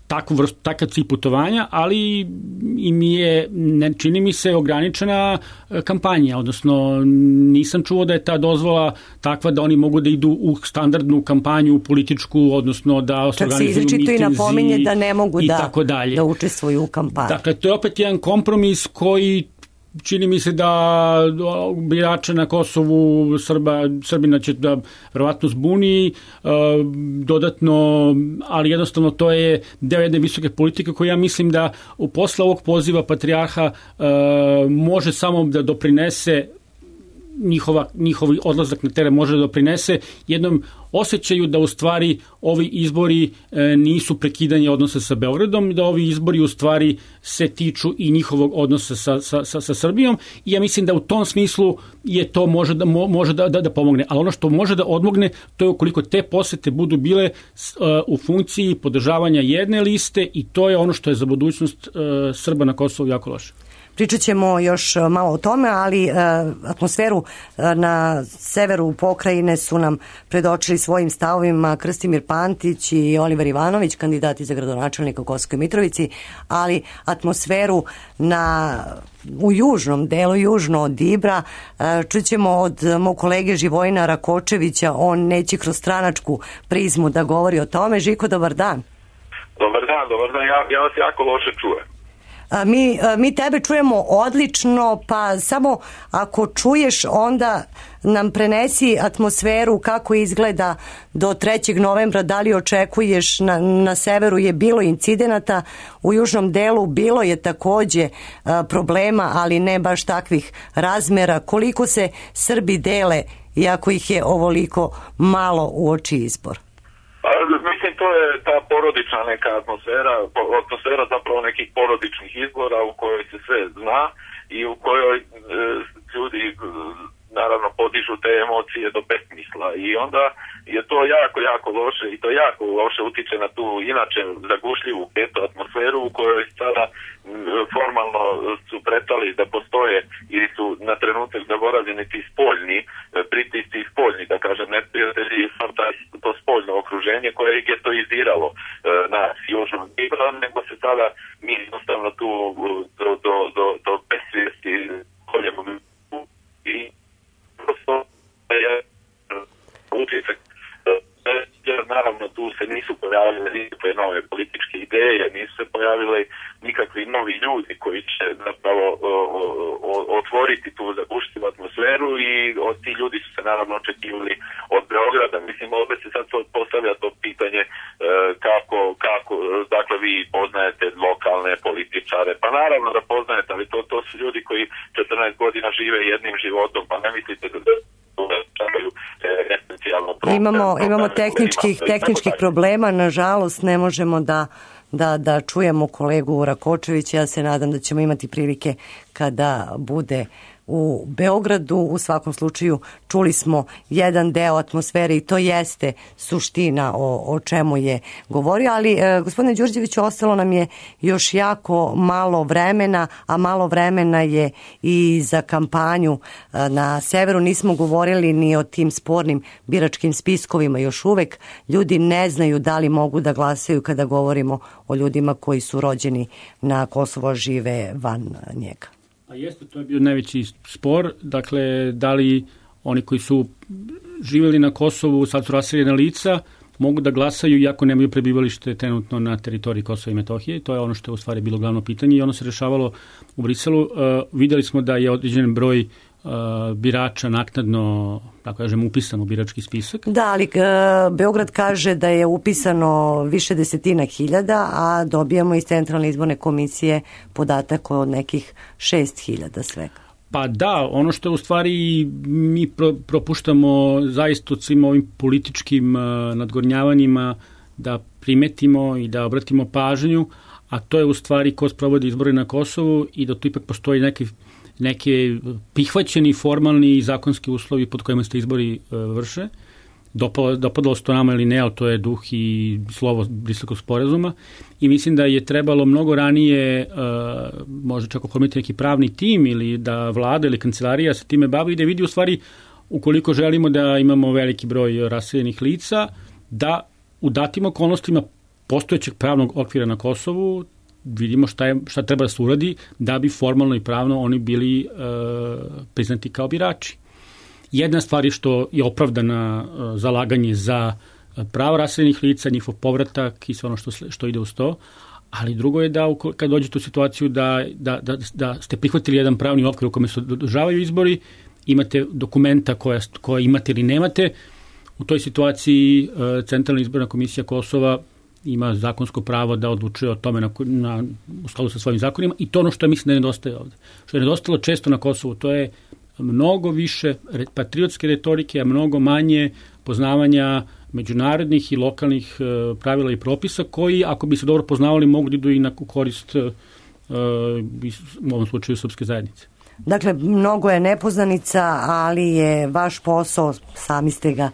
takvu vrstu, takav cilj putovanja, ali im je, ne, čini mi se, ograničena kampanja, odnosno nisam čuo da je ta dozvola takva da oni mogu da idu u standardnu kampanju političku, odnosno da se organizuju mitinzi. Čak se izričito i napominje da ne mogu da, da učestvuju u kampanju. Dakle, to je opet jedan kompromis koji čini mi se da birače na Kosovu Srba, Srbina će da verovatno zbuni uh, dodatno, ali jednostavno to je deo jedne visoke politike koja ja mislim da u posle ovog poziva patrijarha uh, može samo da doprinese njihova, njihovi odlazak na teren može da doprinese jednom osjećaju da u stvari ovi izbori e, nisu prekidanje odnosa sa Beogradom, da ovi izbori u stvari se tiču i njihovog odnosa sa, sa, sa, sa Srbijom i ja mislim da u tom smislu je to može da, mo, može da, da, da pomogne. Ali ono što može da odmogne to je ukoliko te posete budu bile e, u funkciji podržavanja jedne liste i to je ono što je za budućnost e, Srba na Kosovu jako loše. Pričat ćemo još malo o tome, ali e, atmosferu e, na severu pokrajine su nam predočili svojim stavovima Krstimir Pantić i Oliver Ivanović, kandidati za gradonačelnika u Kosovskoj Mitrovici, ali atmosferu na, u južnom delu, južno od Ibra, e, čućemo od mog kolege Živojina Rakočevića, on neće kroz stranačku prizmu da govori o tome. Žiko, dobar dan. Dobar dan, dobar dan, ja, ja vas jako loše čujem. Mi, mi tebe čujemo odlično, pa samo ako čuješ onda nam prenesi atmosferu kako izgleda do trećeg novembra, da li očekuješ, na, na severu je bilo incidenata, u južnom delu bilo je takođe problema, ali ne baš takvih razmera. Koliko se Srbi dele, iako ih je ovoliko malo uoči izbor? Mislim, to je ta porodična neka atmosfera, atmosfera zapravo nekih porodičnih izbora u kojoj se sve zna i u kojoj e, ljudi e, naravno podižu te emocije do besmisla i onda je to jako, jako loše i to jako loše utiče na tu inače zagušljivu petu atmosferu u kojoj sada m, formalno su pretali da postoje ili su na trenutak zaboravljeni ti spoljni pritisci i spoljni, da kažem, neprijatelji, to spoljno okruženje koje je getoiziralo e, na južnom Ibra, nego se sada mi jednostavno tu do, do, do, do besvijesti koljemo i prosto je utisak. Naravno, tu se nisu pojavile nikakve nove političke ideje, nisu se pojavile nikakvi novi ljudi koji će zapravo o, o, otvoriti tu zagušljivu atmosferu i od ti ljudi su se naravno očekivali od Beograda. Mislim, opet se sad postavlja to pitanje e, kako, kako, dakle, vi poznajete lokalne političare, pa naravno da poznajete, ali to, to su ljudi koji četrnaest godina žive jednim životom, pa ne mislite da Imamo, imamo tehničkih, tehničkih problema, nažalost ne možemo da, da, da čujemo kolegu Rakočevića. Ja se nadam da ćemo imati prilike kada bude u Beogradu. U svakom slučaju čuli smo jedan deo atmosfere i to jeste suština o, o čemu je govorio, ali e, gospodine Đurđeviću, ostalo nam je još jako malo vremena, a malo vremena je i za kampanju e, na severu. Nismo govorili ni o tim spornim biračkim spiskovima još uvek. Ljudi ne znaju da li mogu da glasaju kada govorimo o ljudima koji su rođeni na Kosovo, žive van njega. A jeste, to je bio najveći spor, dakle, da li oni koji su živjeli na Kosovu, sad su raseljena lica, mogu da glasaju iako nemaju prebivalište trenutno na teritoriji Kosova i Metohije. To je ono što je u stvari bilo glavno pitanje i ono se rešavalo u Briselu. Uh, vidjeli smo da je određen broj uh, birača naknadno, tako kažem, upisan u birački spisak. Da, ali uh, Beograd kaže da je upisano više desetina hiljada, a dobijamo iz Centralne izborne komisije podatak od nekih šest hiljada svega. Pa da, ono što u stvari mi pro, propuštamo zaista od svim ovim političkim uh, nadgornjavanjima da primetimo i da obratimo pažnju, a to je u stvari ko sprovodi izbore na Kosovu i da tu ipak postoji neki neke prihvaćeni formalni i zakonski uslovi pod kojima se izbori e, vrše. Dopadalo, dopadalo se to nama ili ne, ali to je duh i slovo Briselskog sporazuma i mislim da je trebalo mnogo ranije e, možda čak oformiti neki pravni tim ili da vlada ili kancelarija se time bavi i da vidi u stvari ukoliko želimo da imamo veliki broj raseljenih lica, da u datim okolnostima postojećeg pravnog okvira na Kosovu vidimo šta, je, šta treba da se uradi da bi formalno i pravno oni bili e, priznati kao birači. Jedna stvar je što je opravdana e, zalaganje za pravo raseljenih lica, njihov povratak i sve ono što, što ide uz to, ali drugo je da kad dođete u situaciju da, da, da, da ste prihvatili jedan pravni okvir u kome se održavaju izbori, imate dokumenta koja, koja imate ili nemate, u toj situaciji e, Centralna izborna komisija Kosova ima zakonsko pravo da odlučuje o tome na, na, u skladu sa svojim zakonima i to ono što je mislim da je nedostaje ovde. Što je nedostalo često na Kosovu, to je mnogo više patriotske retorike, a mnogo manje poznavanja međunarodnih i lokalnih e, pravila i propisa koji, ako bi se dobro poznavali, mogu da idu i na korist e, u ovom slučaju srpske zajednice. Dakle, mnogo je nepoznanica, ali je vaš posao, sami ste ga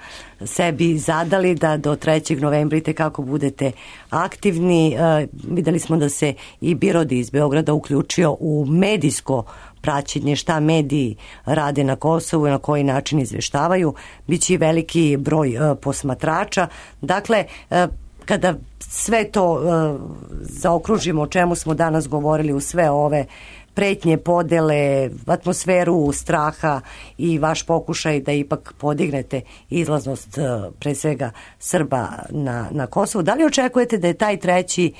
sebi zadali, da do trećeg novembra kako budete aktivni. E, videli smo da se i Birodi iz Beograda uključio u medijsko praćenje šta mediji rade na Kosovu i na koji način izveštavaju. Biće i veliki broj e, posmatrača. Dakle, e, kada sve to e, zaokružimo o čemu smo danas govorili u sve ove pretnje, podele, atmosferu straha i vaš pokušaj da ipak podignete izlaznost pre svega Srba na, na Kosovu. Da li očekujete da je taj treći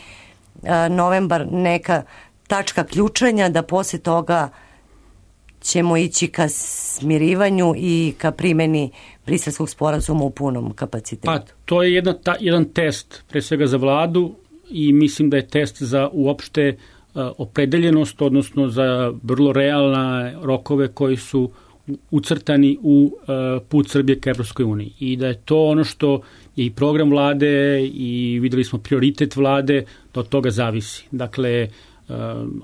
novembar neka tačka ključanja, da posle toga ćemo ići ka smirivanju i ka primeni Briselskog sporazuma u punom kapacitetu? Pa, to je jedna, ta, jedan test pre svega za vladu i mislim da je test za uopšte opredeljenost, odnosno za vrlo realne rokove koji su ucrtani u put Srbije ka Evropskoj uniji. I da je to ono što je i program vlade i videli smo prioritet vlade, da od toga zavisi. Dakle,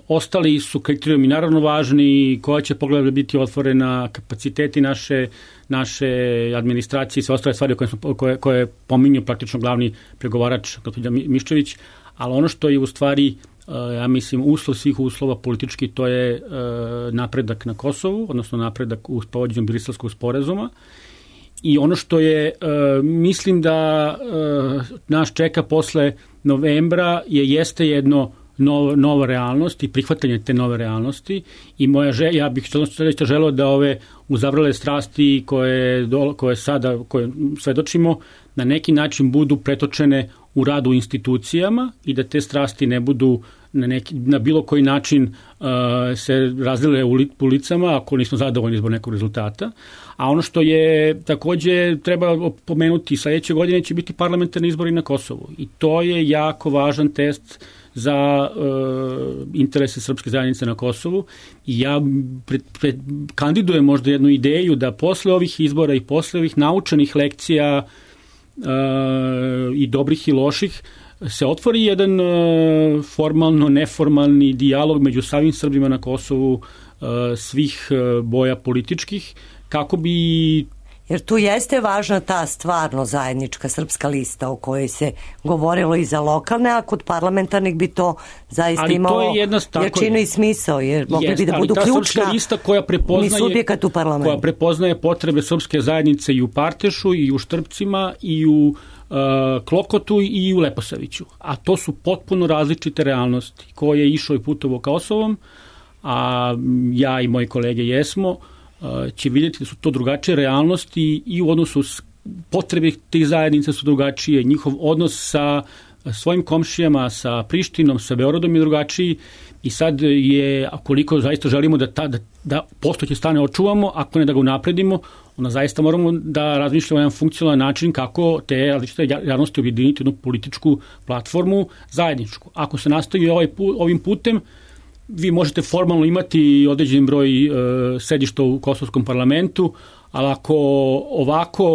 ostali su kriterijumi naravno važni, koja će poglavlja biti otvorena, kapaciteti naše, naše administracije i sve ostale stvari koje, smo, koje, koje pominju praktično glavni pregovarač gospođa Miščević, ali ono što je u stvari ja mislim, uslov svih uslova politički, to je e, napredak na Kosovu, odnosno napredak u sprovođenju Briselskog sporazuma. I ono što je, e, mislim da e, nas čeka posle novembra je jeste jedno nov, nova realnost i prihvatanje te nove realnosti i moja želja, ja bih što želeo da ove uzavrele strasti koje, do, koje sada koje svedočimo na neki način budu pretočene u radu u institucijama i da te strasti ne budu na, neki, na bilo koji način uh, se razdele u ulicama ako nismo zadovoljni zbog nekog rezultata. A ono što je takođe treba pomenuti, sledeće godine će biti parlamentarni izbori na Kosovu i to je jako važan test za uh, interese srpske zajednice na Kosovu i ja pred, pred, kandidujem možda jednu ideju da posle ovih izbora i posle ovih naučenih lekcija uh, i dobrih i loših se otvori jedan uh, formalno neformalni dijalog među samim Srbima na Kosovu svih boja političkih, kako bi... Jer tu jeste važna ta stvarno zajednička srpska lista o kojoj se govorilo i za lokalne, a kod parlamentarnih bi to zaista ali imalo to je jedna, jačinu i smisao, jer mogli jest, bi da budu ključna lista koja prepoznaje, subjekat u parlamentu. Koja prepoznaje potrebe srpske zajednice i u Partešu, i u Štrpcima, i u uh, Klokotu, i u Leposaviću. A to su potpuno različite realnosti koje je išao i putovo Kosovom, a ja i moji kolege jesmo, će vidjeti da su to drugačije realnosti i u odnosu potrebe tih zajednica su drugačije, njihov odnos sa svojim komšijama, sa Prištinom, sa Beogradom je drugačiji i sad je, koliko zaista želimo da, ta, da, da postojeće stane očuvamo, ako ne da ga unapredimo, onda zaista moramo da razmišljamo jedan funkcionalan način kako te različite javnosti objediniti jednu političku platformu zajedničku. Ako se nastavi ovaj, ovim putem, vi možete formalno imati određen broj e, sedišta u kosovskom parlamentu, ali ako ovako,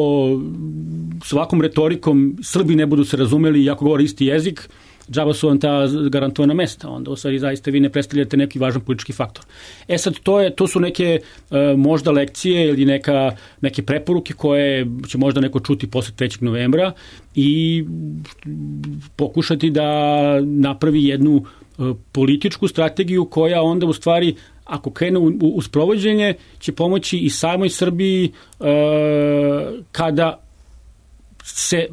s ovakvom retorikom Srbi ne budu se razumeli i ako govore isti jezik, džaba su vam ta garantovana mesta, onda u stvari zaista vi ne predstavljate neki važan politički faktor. E sad, to, je, to su neke e, možda lekcije ili neka, neke preporuke koje će možda neko čuti posle trećeg novembra i pokušati da napravi jednu političku strategiju koja onda u stvari, ako krene u, u sprovođenje, će pomoći i samoj Srbiji e, kada se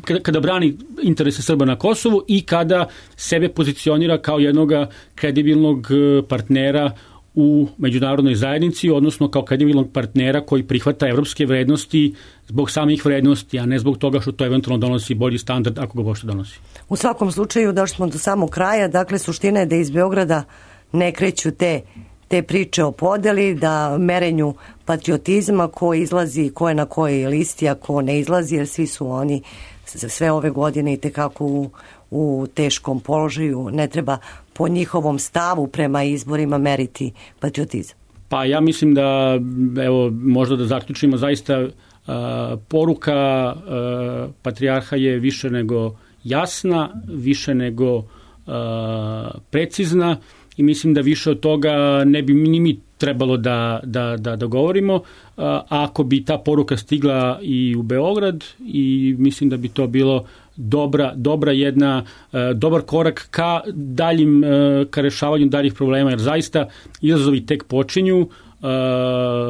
kada, kada brani interese Srba na Kosovu i kada sebe pozicionira kao jednog kredibilnog partnera u međunarodnoj zajednici, odnosno kao kredibilnog partnera koji prihvata evropske vrednosti zbog samih vrednosti, a ne zbog toga što to eventualno donosi bolji standard ako ga bošte donosi. U svakom slučaju došli smo do samog kraja, dakle suština je da iz Beograda ne kreću te, te priče o podeli, da merenju patriotizma ko izlazi, ko je na kojoj listi, a ko ne izlazi, jer svi su oni sve ove godine i tekako u, u teškom položaju, ne treba po njihovom stavu prema izborima meriti patriotizam. Pa ja mislim da, evo, možda da zaključimo, zaista uh, poruka uh, patrijarha je više nego jasna, više nego uh, precizna i mislim da više od toga ne bi ni mi trebalo da, da, da, da govorimo, uh, ako bi ta poruka stigla i u Beograd, i mislim da bi to bilo dobra, dobra jedna, uh, dobar korak ka daljim, uh, ka rešavanju daljih problema, jer zaista izazovi tek počinju. Uh,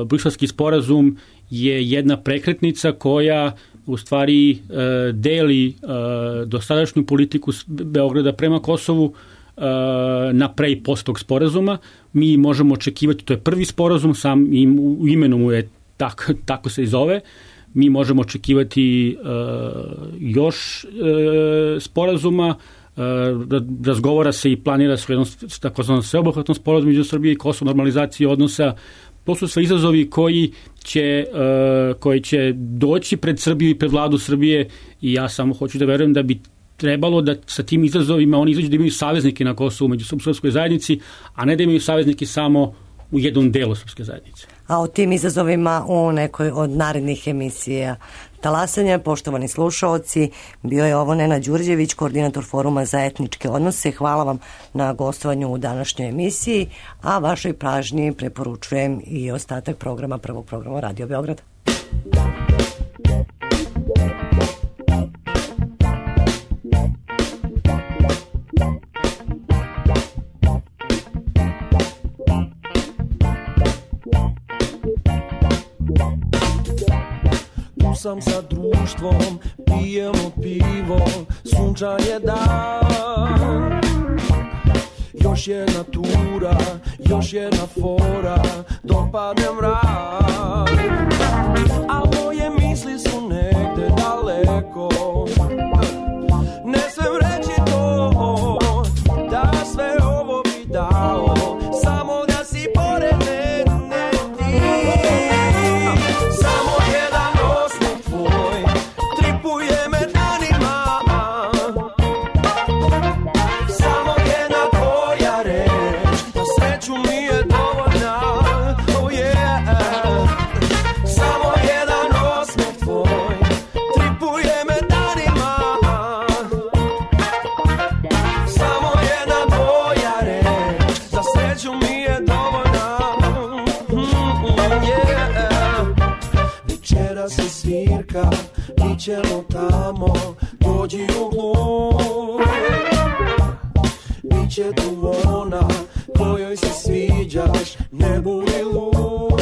Briselski sporazum je jedna prekretnica koja u stvari uh, deli uh, dosadašnju politiku Beograda prema Kosovu uh, na pre i post tog sporazuma. Mi možemo očekivati, to je prvi sporazum, sam im, u imenu mu je tak, tako se i zove, mi možemo očekivati uh, još uh, sporazuma, uh, razgovara se i planira se jednom takozvanom sveobuhvatnom sporazumu među Srbije i Kosovo, normalizaciji odnosa. To su sve izazovi koji će, uh, koji će doći pred Srbiju i pred vladu Srbije i ja samo hoću da verujem da bi trebalo da sa tim izazovima oni izađu da imaju saveznike na Kosovu među srpskoj zajednici, a ne da imaju saveznike samo u jednom delu srpske zajednice. A o tim izazovima u nekoj od narednih emisija Talasanja, poštovani slušaoci, bio je ovo Nenad Đurđević, koordinator Foruma za etničke odnose. Hvala vam na gostovanju u današnjoj emisiji, a vašoj pažnji preporučujem i ostatak programa prvog programa Radio Beograda. Sam sa društvom, pijemo pivo, sunčan je dan. Još jedna tura, još jedna fora, dopadne mrak. A moje misli su negde daleko, ne smem reći to, da sve ovo bi dao, samo da si pored mene ti. Samo jedan osmeh tvoj tripuje me danima, samo jedna tvoja reč na sreću mi je dovoljna. Oh yeah. čeka, mi ćemo tamo, dođi u glub. Biće tu ona kojoj se sviđaš, ne budi lud.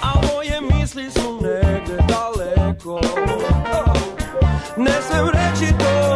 A moje misli su negde daleko, ne smem reći to.